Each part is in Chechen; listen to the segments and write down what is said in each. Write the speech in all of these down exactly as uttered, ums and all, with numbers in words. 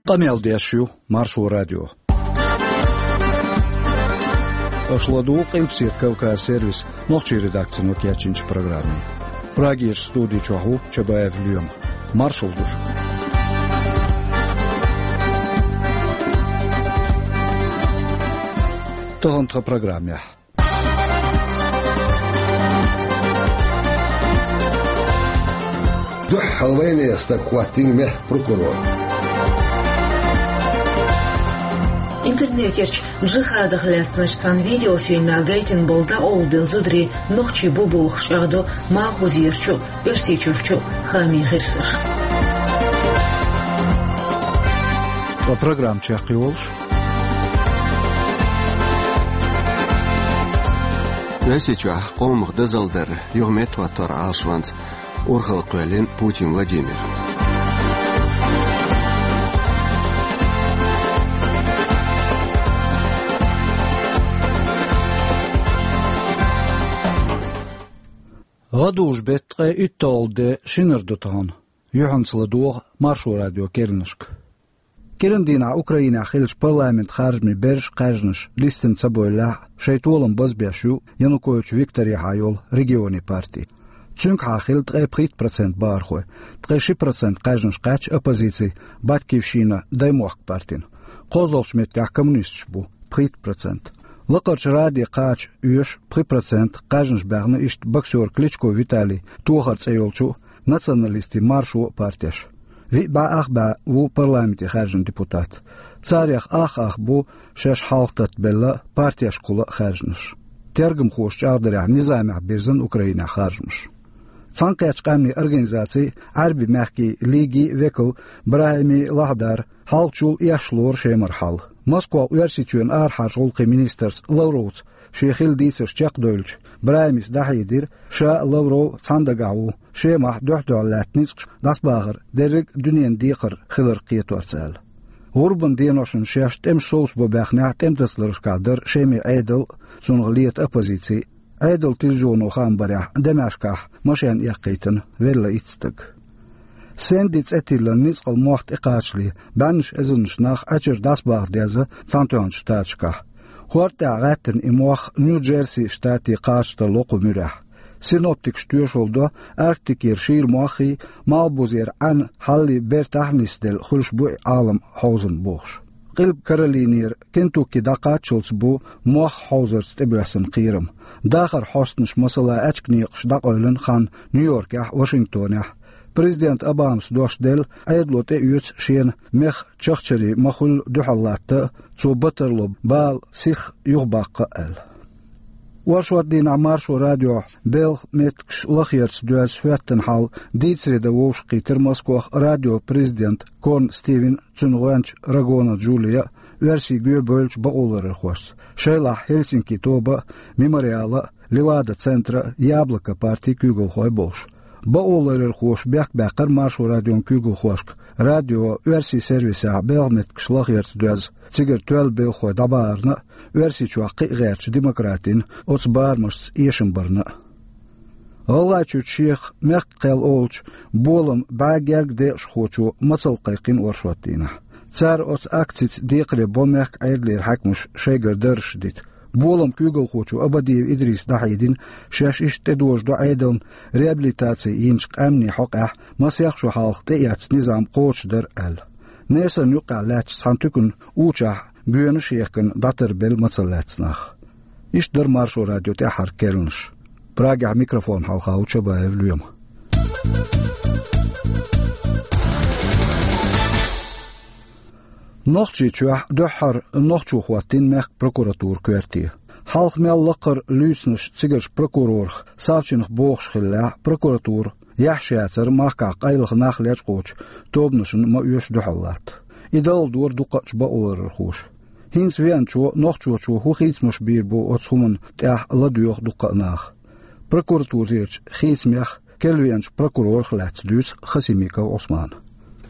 Къамел деш ю Маршо радио. Аша ладугӀу Къилбаседа Кавказ сервисан нохчийн редакцино кечйинчу программе. Прагерчу студи чохь ву Чабаев Лоьма. Маршалла ду шуьга. Тахана тхан программехь. Дуьххьара вайнехан стаг хӀоттийна мехкан прокурор. Интернетерчу джихадах лаьцначу цхьана видеофильмехь гайтина болу дӀакъовлабелла зударий нохчий бу бохуш чӀагӀдо Малхбузерчу а, Оьрсийчуьрчу а хаамийн гӀирсаша. Ткъа программа чекхйолуш. Оьрсийчохь къомах дозалла дар юха меттахӀоттор Ӏалашонца урхалла кхоьллина Путин Владимира. ГӀадужу беттан ткъе уьтталгӀа де шинара ду тахана. Юьхьанца ладогӀа Маршо радион керланашка. КӀиран дийнахь Украинехь хиллачу парламентан харжамийн берриш а кхаьжнаш листина ца бевллехь, шайн толам базбеш ю Янукович Викторехьа йолу Регионийн парти. Цуьнгахьа хилла ткъе пхийтта процент бахархой, ткъе ши процент кхаьжнаш кхаьчна оппозицин Батькивщина даймохк партина. КхозлагӀчу меттехь коммунисташ бу, пхийтта процент. Лакхарчу раде кхача оьшу пхи процент кхаьжнаш баьхна иштта боксёр Кличко Виталий тохар цӀе йолчу а, националистийн Маршо а партеш. Виъ бӀе ах бӀе ву парламенте хаьржина депутат. Царех ах-ах бу шаьш хьалхататтабелла партешкахула а хаьржинарш. Тергамхоша чӀагӀдарехь, низамехь бирзина Украинехь харжамаш. Цхьаьнакхеттачу къаьмнийн организацин, Ӏаьрбийн мехкийн лигин векал БрахӀими Лахьдар хьалхачул эшна лору Шемара хьал. Москвахь Оьрсийчоьнан арахьарчу гӀуллакхийн министрца Лавровца шен хилла дийцарш чекхдевлча, БрахӀимис дӀахьедира, ша а, Лавров а цхьана дагахь ву Шемахь дуьхь-дуьхьал лаьтта ницкъаш дӀасабахар дерриг а дуьненан декхар хиларх кхеторца аьлла. ГӀурбан деношна шаьш тӀемаш совцабо баьхнехь, тӀематасаларшкахь дара Шеман Ӏедал а, цунах лета оппозици а. Ӏедалан телевизионо хаам барехь, Дамаскехь машен эккхийтина велла итт стаг. Сэнди цӀе тиллина ницкъала мох тӀекхачале, бӀеннаш эзарнаш нах Ӏачуьра дӀасабаха деза Цхьаьнатоьхначу Штаташкахь. ХӀорда тӀехь гӀаьттина и мох Нью-Джерси штате кхача тарло кху муьрехь. Синоптикаша тоьшалла до, Арктикера шийла моххий, Малхбузера Ӏаьнан хьаллий бертахь а нисделла хуьлуш бу и Ӏалам хьовзам бохуш. Къилба Каролинера Кентукки дӀакхаччалц бу мох хьовзарца тӀебоьссина кхерам. Дахаран хьостанаш, масала, аьчка некъаш дӀакъевлина хан Нью-Йоркехь а, Вашингтонехь а. Президент Обамас дош делла, Ӏедало тӀеоьцу шена мехкан чахчарий ма-хуьллу дуьхьал латта а, цо бан тарло бала сиха юхабаккха а аьлла. Оршот дийнахь Маршо радиохь белхан меттигаш лахъярца доьзна хӀоьттина хьал дийцаре дан вовшахкхийтира Москвахь радион президент Корн Стивен, цуьнан гӀоьнча Рагона Джулия а, оьрсийн гоьбевллачу бакъоларъярхошца, шайлахь Хельсинки тоба а, Мемориала а, Левада центра а, Яблоко партин куьйгалхой а болуш. Бакъоларъярхоша бехк баьккхира Маршо радион куьйгалхошка радион оьрсийн сервисехь белхан меттигаш лахъярца доьзна, цигара тоьлла белхахой дӀабахарна а, Оьрсийчохь кхин а гӀертачу демократин оцу барамашца эшам барна а. ГӀалгӀайчуьрчу шех «Мехкан кхел» олучу «Болам» бӀе герга декъашхочо мацалла кхайкхина оршот дийнахь. Цара оцу акцица декхаре бо мехкан Ӏедалера хьаькамаш шайгара даржаш дита. «Болам» куьйгалхочо Абадиев Идриса дӀахьедина, шаьш иштта тӀедожадо Ӏедална реабилитаци йинчу къаьмнийн хьокъехь масех шо хьалха тӀеэцна низам кхочушдар аьлла. Несарна юккъехь лаьттачу цхьана туьканан учахь гоьнаш а ехкина дӀатарбелла мацалла лаьцна нах. Иштта дара Маршо радион тӀаьххьара керланаш. Прагехь микрофон хьалха ву Чабаев Лоьма. Нохчийчохь дуьххьара нохчо хӀоттийна мехкан прокуратуран коьрте. Хьалха мел лакхара луьйцинарш цигарчу прокурорах Савчинах бохуш хиллехь, прокуратура, яхьаш яцара махкахь къайлаха нах лечкъочу тобанашна ма-оьшу дуьхьал латта. И далла дора дукхачу бакъоларъярхоша. ХӀинца веанчо, нохчочо хӀун хийцамаш бийр бу оцу хӀуманна тӀехь, ладоьгӀу дуккха а наха. Прокуратурерчу хийцамех керлавеанчу прокурорах лаьцна дуьйцу Хасимиков Ӏусмана.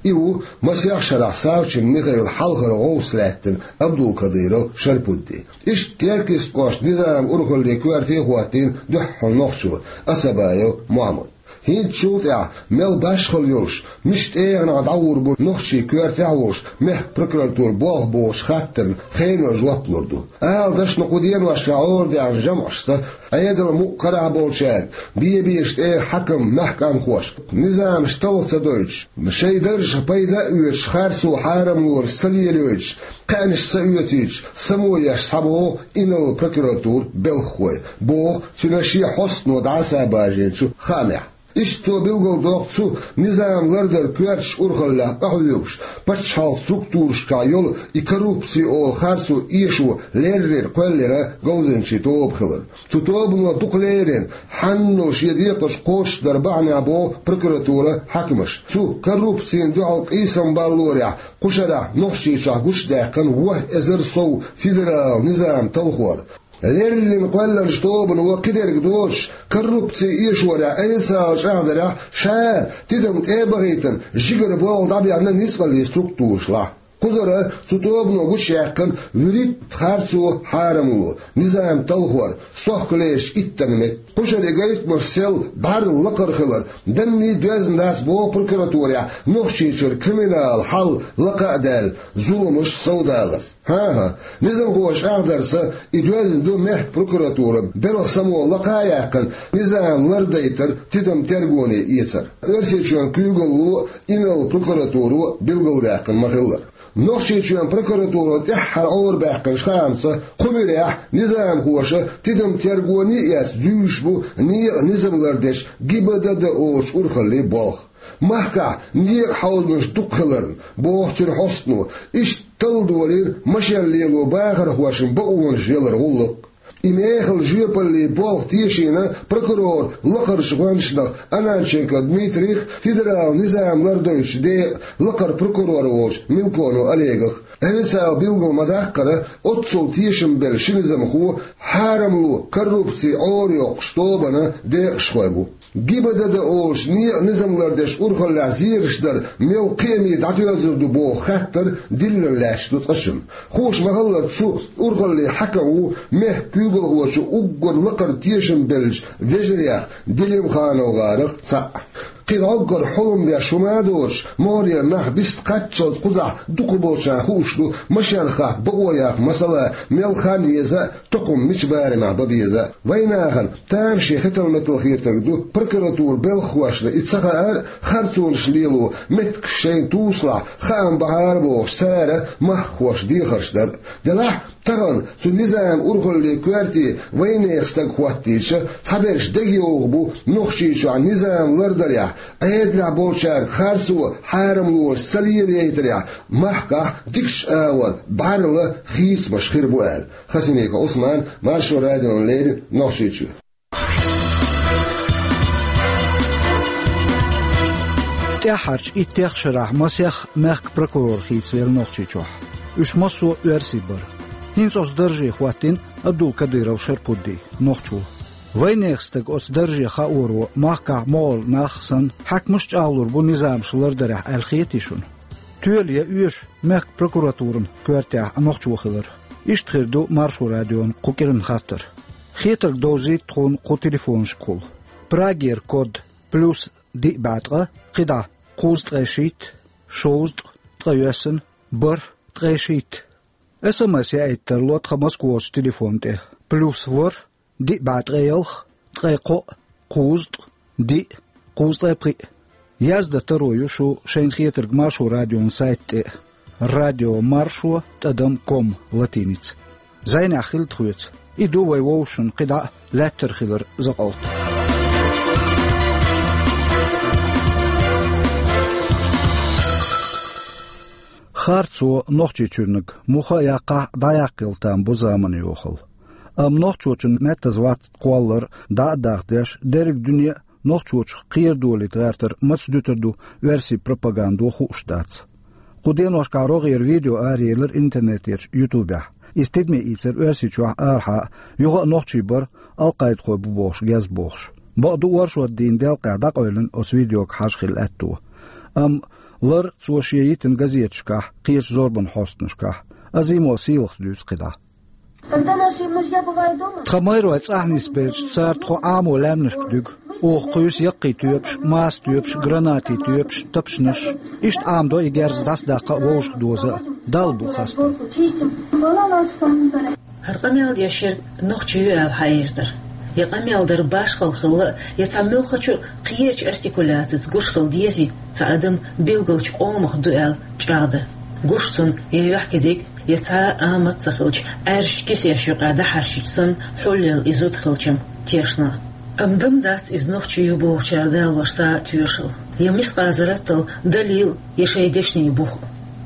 И ву масех шарахь Савчин Михаилан хьалхара гӀовс лаьттина Абдулкадыров Шарпудди. Иштта Теркйистан кӀоштан низаман урхаллин коьрте хӀоттийна дуьххьара нохчо Асабаев Мохьмад. ХӀинцачул тӀаьхьа мел башхалла йолуш, мишта тӀегӀанехь дӀагӀур бу нохчий коьртехь а волуш, мехкан прокуратуран болх бохучу хаттарна хенан жоп лур ду. Ала дашна, кху деношкахь Ӏорадаьхна жамӀашца, Ӏедалан мукъа карахь болчаьрга, бен-бен тӀера хьаькам, мехкан къаьмнашка, низамаш талха ца дойтуш, шайн даржах пайда а оьцуш, харцо хьарамлонаш ца лелайойтуш, кхаьънаш ца оьцуьйтуш, само еш схьабогӀу инарла прокуратуран белхахой, боху цуьнан шен хьостано дӀасабаржийначу хаамехь. Иштта цо билгалдоккху цу низам лардаран коьртачу урхаллех къахьоьгуш, пачхьалкхан структурашкахь йолу и коррупци олу харцо эшо леррина кхоьллина говзанчийн тоба хилар. Цу тобано дукха леррина, хьанал шен декхарш кхочушдар бахьанехь боху прокуратуран хьаькамаша. Цу коррупцина дуьхьал къийсам баллорехь кху шарахь Нохчийчохь гучудаьккхина ворхӀ эзар сов федералан низам талхор. Леррина кхоьллинчу тобано кхидерг доцуш, коррупци эшорехь официалан чӀагӀдарехь ша тидам тӀе а бахийтина, жигара болх дӀабаьхна ницкъаллин структурашлахь. Кхузара цу тобано гучуяьккхина вуьрхӀитта харцо, хьарамло, низам талхор, сохкалерчу иттанна метта. Кху шарахь гайтамаш сел бӀаьрла лакхара хилар данне доьзна дац боху прокуратурехь Нохчийчуьра криминалан хьал лакха а даьлла, зуламаш совдаларца. ХӀан-хӀа, низамхоша чӀагӀдарца, и доьзна ду мехкан прокуратуран белхан само лакха а яьккхина, низам лардайтар тидам тергоне эцар. Оьрсийчоьнан куьйгалло а, инарла прокуратуро а билгалдаьккхина ма-хиллара. Нохчийчоьнан прокуратуро тӀаьххьара Ӏорабаьккхинчу хаамца, кху муьрехь низамхоша тидам тергоне а эцна дуьйцуш бу некъан низам лардечу ГИБДД олучу урхаллин болх. Махкахь некъан хьовзамаш дукха хиларна, боху цуьнан хьостано, иштта талла долийра машен лело бахархошна бакъонаш ялар гӀуллакх. И мехала жоьпаллин болх тешийна прокуроран лакхарчу гӀоьнчанах Ананченко Дмитрих, федералан низам лардойтучу декъан лакхара прокурор волчу Милконов Олегах. Официалан билгал ма-даккхара, оццул тешам белла ши низамхо хьарамло, коррупци Ӏорайоккхучу тобанан декъашхой бу. ГИБДД олучу некъан низам лардечу урхаллехь зераш дар мел кхиаме дӀадоьзур ду боху хаттар диллина лаьтташ ду цкъачунна. Хууш ма-хиллара, цу урхаллин хьаькам ву мехкан куьйгалхочун уггар лакхара тешам беллачу вежарех, ДелимхановгӀарах цхьаъ. Кхин дӀоггара хьулам беш хӀума а доцуш, могӀарера нах бист кхаччалц кхузахь дукхахболчарна хууш ду, машенах хатта бакъо яккха, масала, мел хан еза а, тукхум мича барамехь бан беза а. Вайнахана тамашийна хетал-метал хетарг ду, прокуратуран белхахошна и ца хаар а, харцонаш лело меттигаш шайна тусалахь, хаам бахьара бохуш, цара махкахошна дехарш дар а. Делахь а, тахана цу низаман урхаллин коьрте вайнехан стаг хӀоттийча, цхьаберш дегайовхо бу Нохчийчохь низам лардарехь, Ӏедалехь болчаьрга харцо, хьарамлонаш ца лелайтарехь, махкахь дикачу агӀор бӀаьрла хийцамаш хир бу аьлла. Хасимиков Ӏусман, Маршо радиона леррина, Нохчийчуьра. ТӀаьххьарчу иттех шарахь масех мехкан прокурор хийцавелла Нохчийчохь. Уьш массо а оьрсий бара. ХӀинца оцу дарже хӀоттийна Абдул-Кадыров Шарпудди, нохчо. Вайнехан стаг оцу дарже хаоро махкахь могӀарера нах санна, хьаькамаш а чӀагӀлур бу низамаш лардарехь аьлла хетий шуна? Тоьлу я оьшу мехкан прокуратуран коьртехь нохчо хилар? Иштта хир ду Маршо радион кху кӀиранан хаттар. Хетарг довзийта тхуна кху телефонашкахула. Прагера код: плюс диъ бӀе ткъа, кхидӀа: кхузткъе шийтта, шовзткъа, ткъайоьсна, бархӀ, ткъе шийтта. СМС яийта тарло тхан Москварчу телефон тӀе: плюс ворхӀ, диъ бӀе ткъе ялх, ткъе кхоъ, кхузткъа, диъ, кхузткъе пхиъ. Яздан таро ю шу шайна хетарг Маршо радион сайта тӀе: радио маршо тӀадам ком, латиница. Зайнехь хила тхоьца. И ду вай вовшашна кхидӀа а лаьттара хиларан закъалт. Харцо Нохчийчуьрниг муха а яккхахь, дӀаяккхийла там бу заманан йохалла. Амма нохчочун меттаза вац кхоллар дӀа а дахдеш, дерриг дуьне а нохчочух кхерадолийта гӀертар маца дуьтур ду оьрсийн пропагандо хууш дац. Кху деношкахь рогӀера видео араелира интернетерчу ютубехь. Иза тидаме ийцира Оьрсийчохь а, арахьа а, юха а нохчий бара, алкъайдахой бу бохуш гезбохуш. Бакъду, оршот дийнан делкъехь дӀакъевлина оцу видеога хьажа хилла аьтто. Амма лар цо шен йитина газеташкахь, кхечу зорбанан хьостанашкахь. Азимов Сийлахьас дуьйцу кхидӀа. Когда наши мужья бывают дома, тхан майрой цӀахь нисбелча, цара тхо Ӏамо лаьмнашка дуьгу. Оха кхуьйсу яккхий тоьпаш, маса тоьпаш, гранатийн тоьпаш, тапчанаш. Иштта Ӏамадо и герз дӀасадаккха а, вовшах доза а. Далла бу хастам. Чистим. ХӀара къамел деш ерг нохчи ю аьлла хьаийр дара. Я къамел дар башхалла хилла а, я цхьа муьлххачу кхечу артикуляцица гуш хила дезий, цхьа адам билгалчу къомах ду аьлла чӀагӀдан. Гуш цунна я юьхькидиг, я цхьа а амат ца хилча, Ӏаьржачу кисеш юкъахь дӀахьаьрчича санна, хьулъелла и зуда хилчам тешна. Амма дан дац иза нохчи ю бохучара далош цхьа а тоьшалла, я мискъазарратал далил, я шайн дешнийн бух.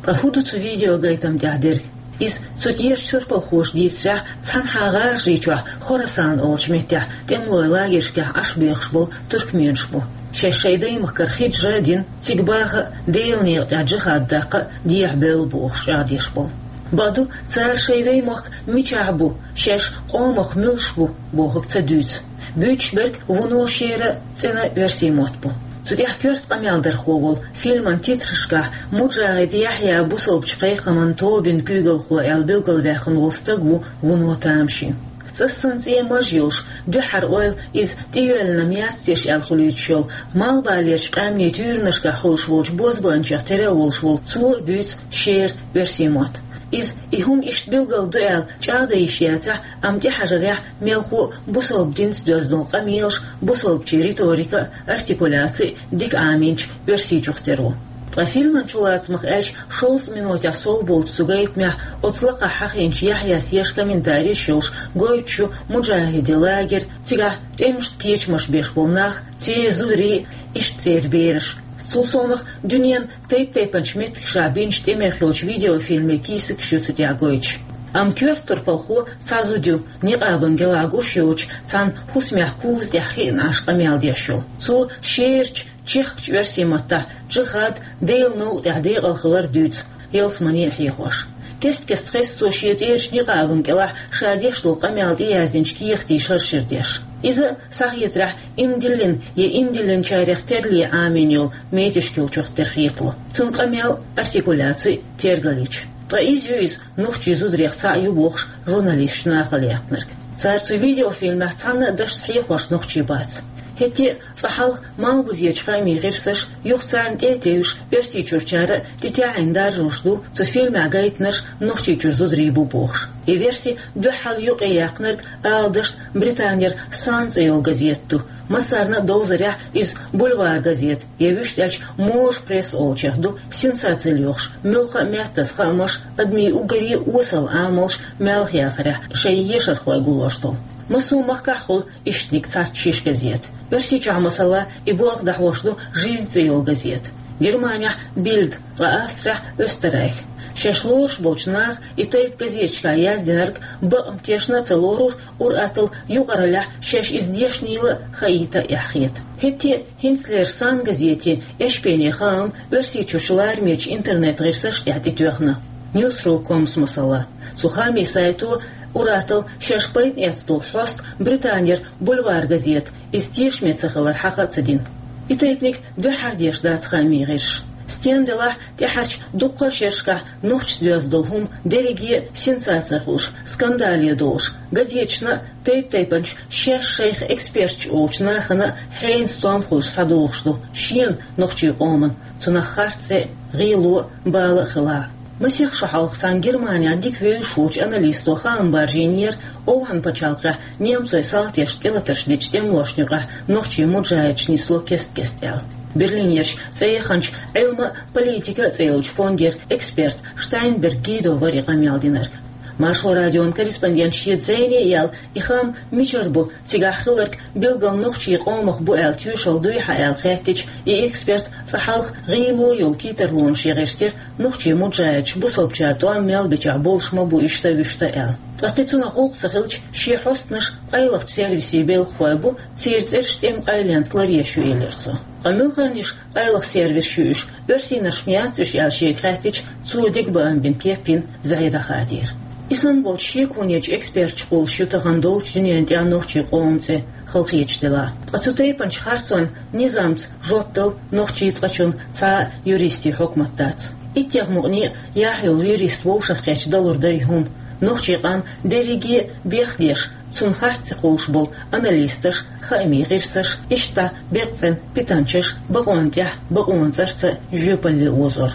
Ткъа хӀун ду цу видеогайтам тӀехь дерг? Иза цу тӀерачу турпалхоша дийцарехь, цхьанхьа ГӀажарийчохь Хорасан олучу меттехь тӀемалойн лагершкахь Ӏаш бехаш болу туркменаш бу. Шаьш шайн даймахкара хиджра а дина, цига баха а, Делан некъа тӀехь джихад даккха а дехьабевлла бохуш чӀагӀдеш болу. Бакъду, цара шайн даймохк мичахь бу, шаьш къомах муьлш бу бохург ца дуьйцу. Буьйцуш берг вуно шера а, цӀена а оьрсийн мотт бу. Цу тӀехь коьрта къамел дархо волу фильман титрашкахь Муджахид Яхьъя бусалбачу кхайкхаман тобин куьйгалхо аьлла билгалваьккхина волу стаг ву вуно тамашийна. ЦӀассана цӀен маж йолуш, дуьххьара ойла иза тӀеоьллинарг яц теша аьлла хуьлуьйтуш йолу, малхбалерчу къаьмнийн туьйранашкахь хуьлуш волчу бозбуанчех тера а волуш волу цо а буьйцу шера оьрсийн мотт. Иза и хӀума иштта билгал ду аьлла чӀагӀдан йиш яцахь, амма тӀехьажарехь мелхо а бусалба динца доьзна долу къамелаш, бусалбачийн риторика а, артикуляци а дика Ӏамийначу оьрсичух тера ву. Ткъа фильман чулацамах аьлча, шовзткъа минотехь сов болчу цу гайтамехь оцу лакхахь хьахийначу Яхьъяс еш комментареш йолуш гойтуш ю Муджахидийн лагерь, цигахь тӀемашна кечамаш беш болу нах, церан зударий, иштта церан бераш. Цул совнаха дуьненан тайп-тайпанчу меттигашкахь бинчу тӀемех йолчу видеофильмийн кийсакаш ю цу тӀехь гойтуш. Амма коьрта турпалхо цхьа зуда ю, никъабан гелахь гуш йоцуш, цхьана хӀусамехь куза тӀехь хиъна Ӏаш къамел деш йолу. Цо шерачу, чехкачу оьрсийн маттахь джихад, Делан новкъа тӀехь декъал хилар дуьйцу, ялсамане а хьехош. Кест-кеста хеза цо шен тӀерачу никъабан кӀелахь ша деш долу къамел тӀеяздинчу кехатийн шаршира деш. Иза, схьахетарехь, иман диллина я иман диллинчарех терле Ӏамийна йолу метишкилчух тера хетало. Цуьнан къамел, артикуляци тергалйича. Ткъа иза ю иза, нохчийн зударех цхьаъ ю бохуш, журналисташ нахала яьккхинарг. Цара цу видеофильмехь цхьанна а дашца хьехош нохчий бац. ХӀетте а цкъа хьалха малхбузечу хаамийн гӀирсаша, юха царна тӀе а тевжаш, Оьрсийчуьрчара а тӀетаьӀӀина даржош ду цу фильмехь гайтинарш Нохчийчуьра зударий бу бохуш. И верси дуьххьал юкъаяьккхинарг, ала дашна, Британера Сан цӀе йолу газета ду. Массарна а довзарехь, иза бульвар газета, я вуьшта аьлча можа пресса олучех ду, сенсаци лоьхуш, муьлхха а меттаза хаамаш, адамийн уггаре а осал амалш маьлхаяхарехь шайн ешархой гуллуш долу. Массо а махкахь хуьлу ишттаниг цхьацца шиша газета. Оьрсийчохь, масала, и болх дӀахьош ду Жизнь цӀе йолу газета. Германехь Бильд, ткъа Австрехь Österreich. Шаьш лоруш болчу наха и тайпа газеташкахь яздинарг бакъ тешна а ца лорура, ур-атталла юкъараллехь шаьш иза дешнийла а, хаийта а эхь хета. ХӀетте а хӀинцалера Сан газетан эшпене хаам Оьрсийчуьрчу ларамечу интернет-гӀирсаш тӀехь тӀетоьхна. Newsru ком, масала. Цу хаамийн сайто ур-атталла шаьш пайда эцна долу хьоста Британера бульвар газета, иза тешаме ца хилар хьаха а ца дина. И тайпаниг дуьххьара деш дац хаамийн гӀирсаша. Стенна делахь, тӀаьхьарчу дуккха а шерашкахь нохчашца доьзна долу хӀума дерриге а сенсаци хуьлуш, скандале долуш, газеташна а, тайп-тайпанчу шаьш шайх эксперташ олучу нахана а хьенан стом хуьлуш схьадогӀуш ду шена, нохчийн къомана, цунах харц цӀе а, гӀело а, бала а хилахь. Масех шо хьалха цхьана Германехь дика вевзаш волчу аналисто хаам баржийнера, ОвхӀан пачхьалкхехь немцойн салташна тӀелатарш дечу тӀемалошна юкъахь нохчийн муджахидаш нисло кест-кеста аьлла. Берлинерчу цӀе яханчу «Ӏилма а, политика а» цӀе йолчу фондера эксперт Штайнберг Гидо вара и къамел динарг. Маршо радион корреспондента шеца зӀене а яьлла, и хаам мичара бу, цигахь хилларг билггал нохчийн къомах бу аьлла тоьшалла дуй хьан аьлла хаьттича, и эксперт цкъа хьалха гӀело йолу китарлонаш яхийтира, нохчийн муджахидаш бусалбачара тӀом мел бичахь болуш ма бу иштта-вуьшта аьлла. Ткъа кхин цунах гӀуллакх ца хилча, шен хьостанаш къайлахчу сервисийн белхахой бу, церан цӀераш тӀеман къайленца ларъеш ю, элира цо. Ткъа муьлхарниш къайлаха сервисаш ю уьш, оьрсийнарш ма яц уьш аьлла шега хаьттича, цо дегабаам бина кеп йина зӀе дӀахадийра. И санна болчу шеконечу эксперташа кхуллуш ю тахана долчу дуьненан тӀехь нохчийн къоман цӀе, халахеташ делахь. Ткъа цу тайпанчу харцонна низамца жоп дала нохчийн цкъачунна цхьа а юристийн хьукмат дац. Иттех мукъане а яхь йолу юрист вовшахкхетча далур дара и хӀума. Нохчийн къам дерриге а бехдеш, цунна харц ца кхуллуш болу аналисташ, хаамийн гӀирсаш, иштта беккъа цӀена питанчаш бакъонан тӀехь бакъонан цӀарца жоьпалле озор.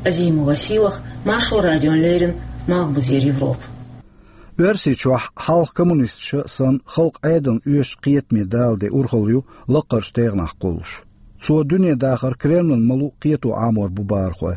Азимова Сийлаха, Маршо радиона леррина, Малхбузера Европа. Оьрсийчохь хьалха коммунисташа санна халкъан Ӏедална оьшучу кхетаме дала де урхалла ю лаккхарчу тӀегӀанехь кхуллуш. Цо дуьне дахар Кремлана ма-луъу кхето Ӏамор бу бахархой.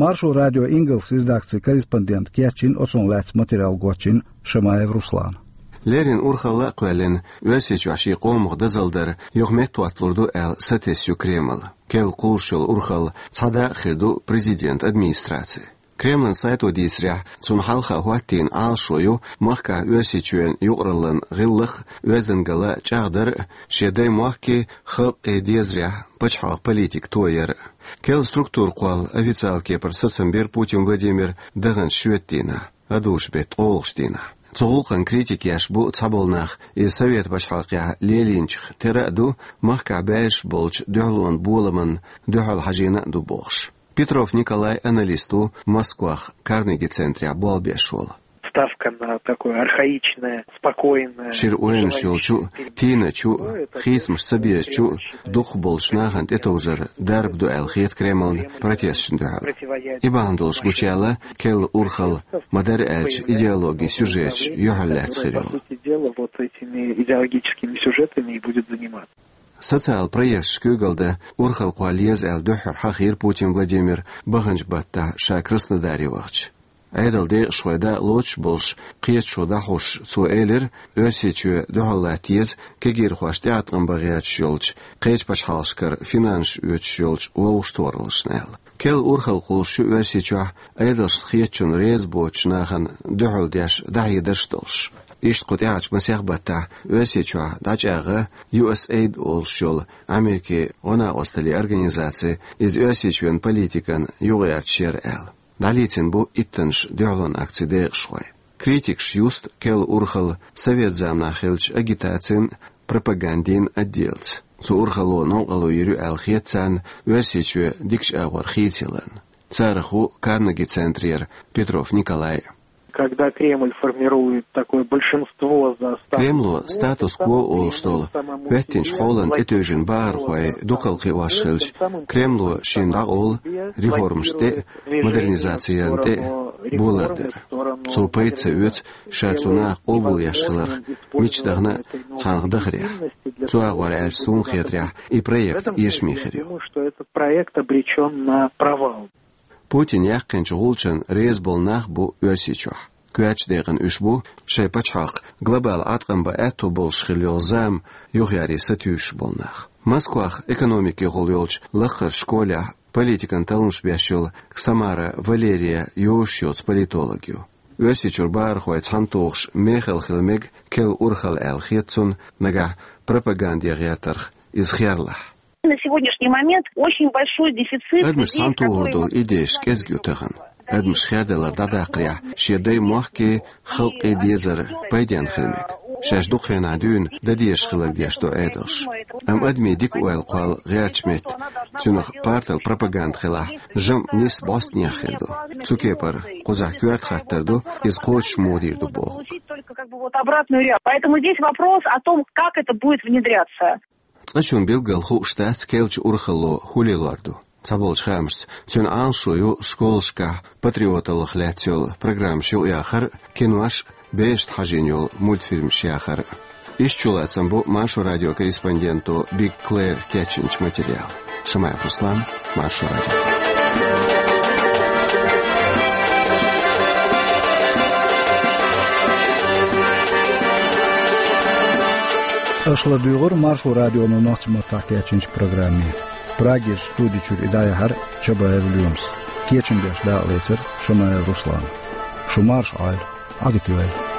Маршо радион ингалс редакцин корреспондента кечйина оцунах лаьцна материал гочйина Шамаев Руслана. Леррина урхалла а кхоьллина, Оьрсийчохь шен къомах дозалла дар юха меттахӀотталур ду аьлла сатесна ю Кремль. Керла кхуллуш йолу урхалла цхьа дакъа хир ду президентан администрацин. Кремлан сайто дийцарехь, цунна хьалха хӀоттийна Ӏалашо ю махкахь Оьрсийчоьнан юкъараллин гӀиллакх а, оьздангалла а чӀагӀдар а, шен даймохкий, халкъий дезарехь пачхьалкхан политика тояр а. Керла структура кхолла официалан кепара сацам бира Путин Владимира даханчу шоьтан дийнахь, гӀадужу-беттан ткъолгӀачу дийнахь. Цу гӀуллакхна критика еш бу цхьаболу нах, иза Совет пачхьалкхехь лелийначух тера а ду, махкахь баьржаш болчу дуьхьалонан боламна дуьхьал хьажийна а ду бохуш. Петров Николай аналист ву, Москвахь Карнеги центрехь болх беш волу. Ставка на такое архаичное, спокойное. Шира ойланаш йолчу, тийначу, хийцамаш ца безачу, дукхахболчу нахана тӀетовжар дарба ду аьлла хета Кремлна протесташна дуьхьал. И бахьана долуш гучуяьлла керла урхалла, ма-дарра аьлча, идеологин сюжеташ юьхьарлаьцна хир йолу. По сути дела, вот этими идеологическими сюжетами и будет заниматься. Социалан проекташ куьйгалла дан урхалла кхолла еза аьлла дуьххьара хьахийра Путин Владимира баханчу баттахь ша Краснодаре вахча. Ӏедалан декъашхой дакъа лоцуш болуш, кхеташо дӀахьош, цо элира, Оьрсийчоь дуьхьал латта еза кегийрхошна тӀеӀаткъам бан гӀерташ йолчу, кхечу пачхьалкхашкара финансаш оьцуш йолчу вовшахтохараллашна аьлла. Керла урхалла кхуллуш ю Оьрсийчохь Ӏедалшна хетачунна реза боцучу нахана дуьхьал деш дӀахьедарш а долуш. Иштта кху тӀаьхьарчу масех баттахь Оьрсийчохь дӀачӀагӀо ю эс эйд олуш йолу Америкин гӀо-накъосталлин организаци, иза Оьрсийчоьнан политикана юкъагӀерташ яра аьлла. ДӀалецна бу иттаннаш дуьхьалонан акцин декъашхой. Критикаш юсту керла урхалла совет заманахь хиллачу агитацин а, пропагандин а отделца. Цу урхалло новкъарло йийр ю аьлла хета царна Оьрсийчоь дикачу агӀор хийцаяларна. Царах ву Карнеги центрера Петров Николай. Когда Кремль формирует такое большинство за статус-кво, Кремло статус-кво олуш долу хӀоьттинчу хьолана тӀетевжина бахархой дукхалла кхиош хилча, Кремло шена дӀакъовлу реформашна тӀе а, модернизацина тӀе а болар дар. Цо пайда ца оьцу ша цу наха къобалъеш хиларх мичча дахана а цхьанхьа дахарехь. Цу агӀор аьлча, суна хетарехь, и проект эшаме хир ю. Думаю, что этот проект обречён на провал. Путина яьккхинчу гӀулчанна реза болу нах а бу Оьрсийчохь. Коьртачу декъана уьш бу шайн пачхьалкх глобалан Ӏаткъам бан аьтто болуш хилла йолу зама юхаяре сатуьйсуш болу нах. Москвахь экономикехула йолчу лакхарчу школехь политикан талламаш беш йолу Ксамара Валерия йозуш йоцу политолог ю. Оьрсийчуьра бахархой цхьаьнатухуш мехала хила мега керла урхалла аьлла хета цунна, нагахь пропаганде гӀертарх иза херлахь. На сегодняшний момент очень большой дефицит людей, которые могли... Адамаш цхьаьнатухур долу идейш кӀезиг ю тахана. Адамаш хердалар дӀадаккхарехь, шен даймохкий, халкъий дезар пайденна хила мега. Шаьш дукха хенахь дуьйна дан дезаш хилар деш ду Ӏедалш. Амма адамийн дика ойла кхолла гӀертачу метта, цуьнах партал пропаганда хилахь, жамӀ нисса бӀостанехьа хир ду. Цу кепара кхузахь коьрта хаттар ду, иза кхочуш муха дийр ду бохург. Получить только как бы вот обратную реакцию. Поэтому здесь вопрос о том, как это будет внедряться. Цкъачунна билггал хууш дац керлачу урхалло хӀун лелор ду. Цхьаболчу хаамашца, цуьнан Ӏалашо ю школашкахь патриоталлах лаьцна йолу программаш юкъаяхар а, кинош а, берашна хьажийна йолу мультфильмаш яхар а. Иштта чулацам бу Маршо радион корреспонденто Биг Клэр кечйинчу материалан. Шамаев Руслан, Маршо радио. Аша ладуьйгӀира Маршо радионо нохчийн маттахь кечйинчу программе. Прагерчу студи чуьра и дӀаяьхьира Чабаев Лоьмас. Кечам беш дакъалецира Шамаев Руслана. Шу марша Ӏойла, Ӏадика йойла.